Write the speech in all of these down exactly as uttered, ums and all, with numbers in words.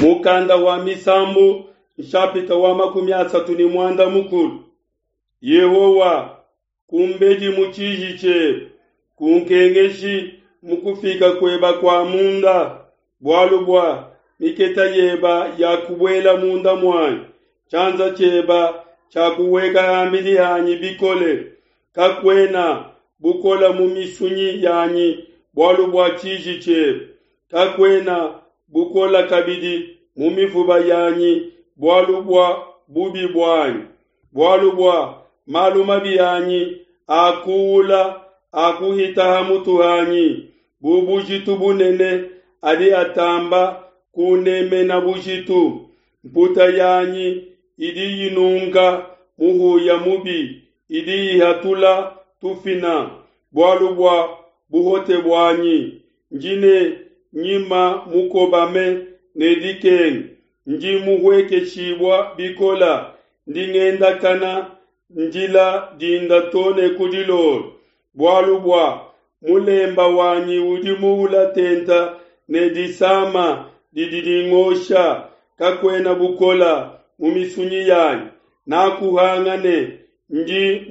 Mukanda wa Misambu nshapita wa makumi asatu ne muanda mukulu. Yehowa, kumbedi mu tshiji tshiebe, kunkengeshi mu kufika kueba kua munda, bualu bua miketa yeba yakubuela munda muanyi, tshianza tshieba tshiakuhueka ham'bidi hanyi bikole. Kakuena bukole mu misunyi yanyi bualu bua tshiji tshiebe, kakuena bukole kabidi mu mifuba yanyi bualu bua bubi buanyi. Bualu bua malu mabi anyi akuula akuhita ha mutu hanyi, bu bujitu bunene adi atamba kunemena bujitu. Mputa yanyi idi inunka muhuya mubi, idi ihatula tufina bualu bua buhote buanyi. Ndi ne nyima mukobame ne dikenga, ndi muhuekeshibue bikole, ndi ngendakana ndila dinda to ne ku dilolo. Bualu bua mulemba wanyi udi muula tente ne disama didi dingosha, kakuena bukole mu misunyi yanyi. Nakuhanga ne ndi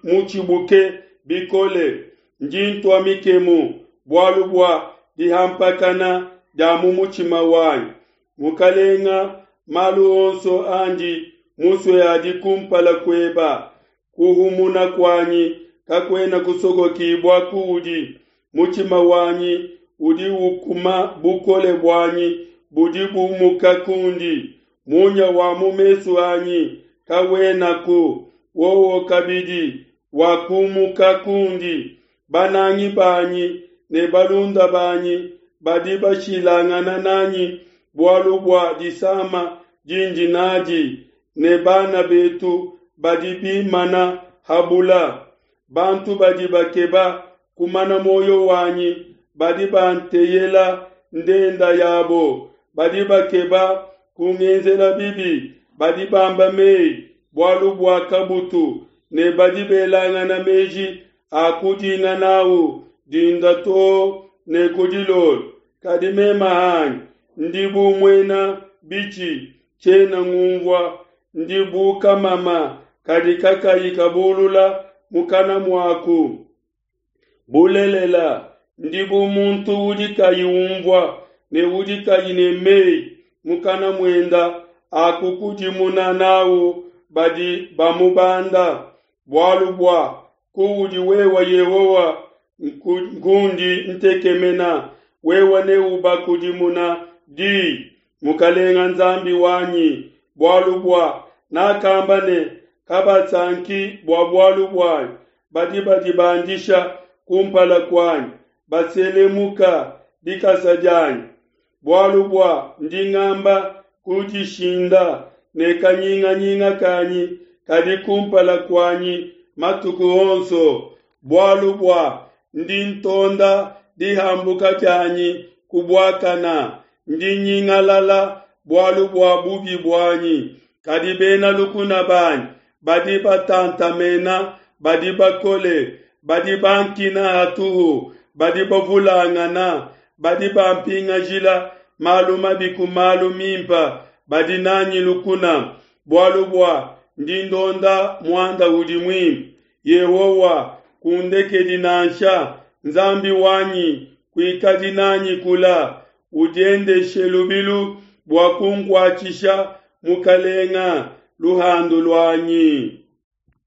mutshibuke bikole, ndi ntua mikemu bualu bua dihampakana dia mu mutshima wanyi. Mukalenga, malu onso andi musue adi kumpala kueba, kuhumuna kuanyi kakuena kusokokibua kuudi. Mutshima wanyi udi ukuma, bukole buanyi budi bumuka kundi. Munya wa mu mesu anyi kawenaku, wowo kabidi wakumuka kundi. Banangi banyi ne balunda banyi badi bashilangana nanyi bualu bua disama dindi nadi, ne bana betu badi bimana ha bula. Bantu badi bakeba kumana muoyo wanyi badi banteyela ndenda yabo, badi bakeba kungenzela bibi, badi bamba mei bualu bua kabutu, ne badi belangana meji a kudinga n'au dinda to ne ku dilolo. Kadi meme hanyi ndi bu muena bitshi, tshiena ngunvua, ndi bu kamama kadi kakayi kabulula mukana muaku. Bulelela, ndi bu muntu udi kayi unvua ne udi kayi ne mei mukana muenda a kukudimuna n'au badi bamubanda. Bualu bua kuudi wewe Yehowa nkundi ntekemena, wewe neubakudimuna di, Mukalenga Nzambi wanyi. Bualu bua nakamba ne, Kabasanki bua bualu buanyi, badi badibandisha kumpala kuanyi, baselemuka dikasa dianyi. Bualu bua ndi ngamba kudishinda, ne kanyinganyinga kanyi kadi kumpala kuanyi matuku onso. Bualu bua ndi ntonda dihambuka dianyi ku buakana, ndi nyingalala bualu bua bubi buanyi. Kadi bena lukuna banyi badi batantamena, badi bakole, badi bankina hatuhu, badi bavulangana, badi bampingajila malu mabi ku malu mimpe, badi nanyi lukuna. Bualu bua ndi ndonda muanda udi muimpe. Yehowa, kundekedi nansha, Nzambi wanyi, kuikadi nanyi kula. Udiendeshe lubilu bua kunkuatshisha, Mukalenga, luhandu luanyi.